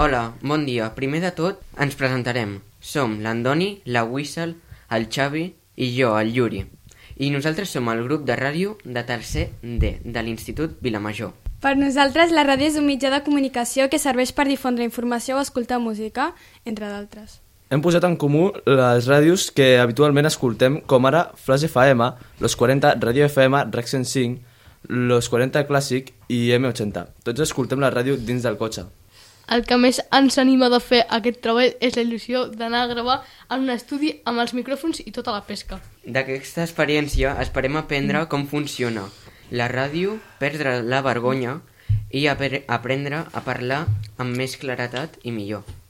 Hola, bon dia. Primer de tot, ens presentarem. Som l'Andoni, la Wissal, el Xavi i jo, el Yuri. I nosaltres som el grup de ràdio de tercer D, de l'Institut Vilamajor. Per nosaltres, la ràdio és un mitjà de comunicació que serveix per difondre informació o escoltar música, entre d'altres. Hem posat en comú les ràdios que habitualment escoltem, com ara Flash FM, Los 40, Radio FM, Rec 105, Los 40 Clàssic i M80. Tots escoltem la ràdio dins del cotxe. El que més ens anima de fer aquest treball és la il·lusió d'anar a gravar en un estudi amb els micròfons i tota la pesca. D'aquesta experiència esperem aprendre com funciona la ràdio, perdre la vergonya i aprendre a parlar amb més claredat i millor.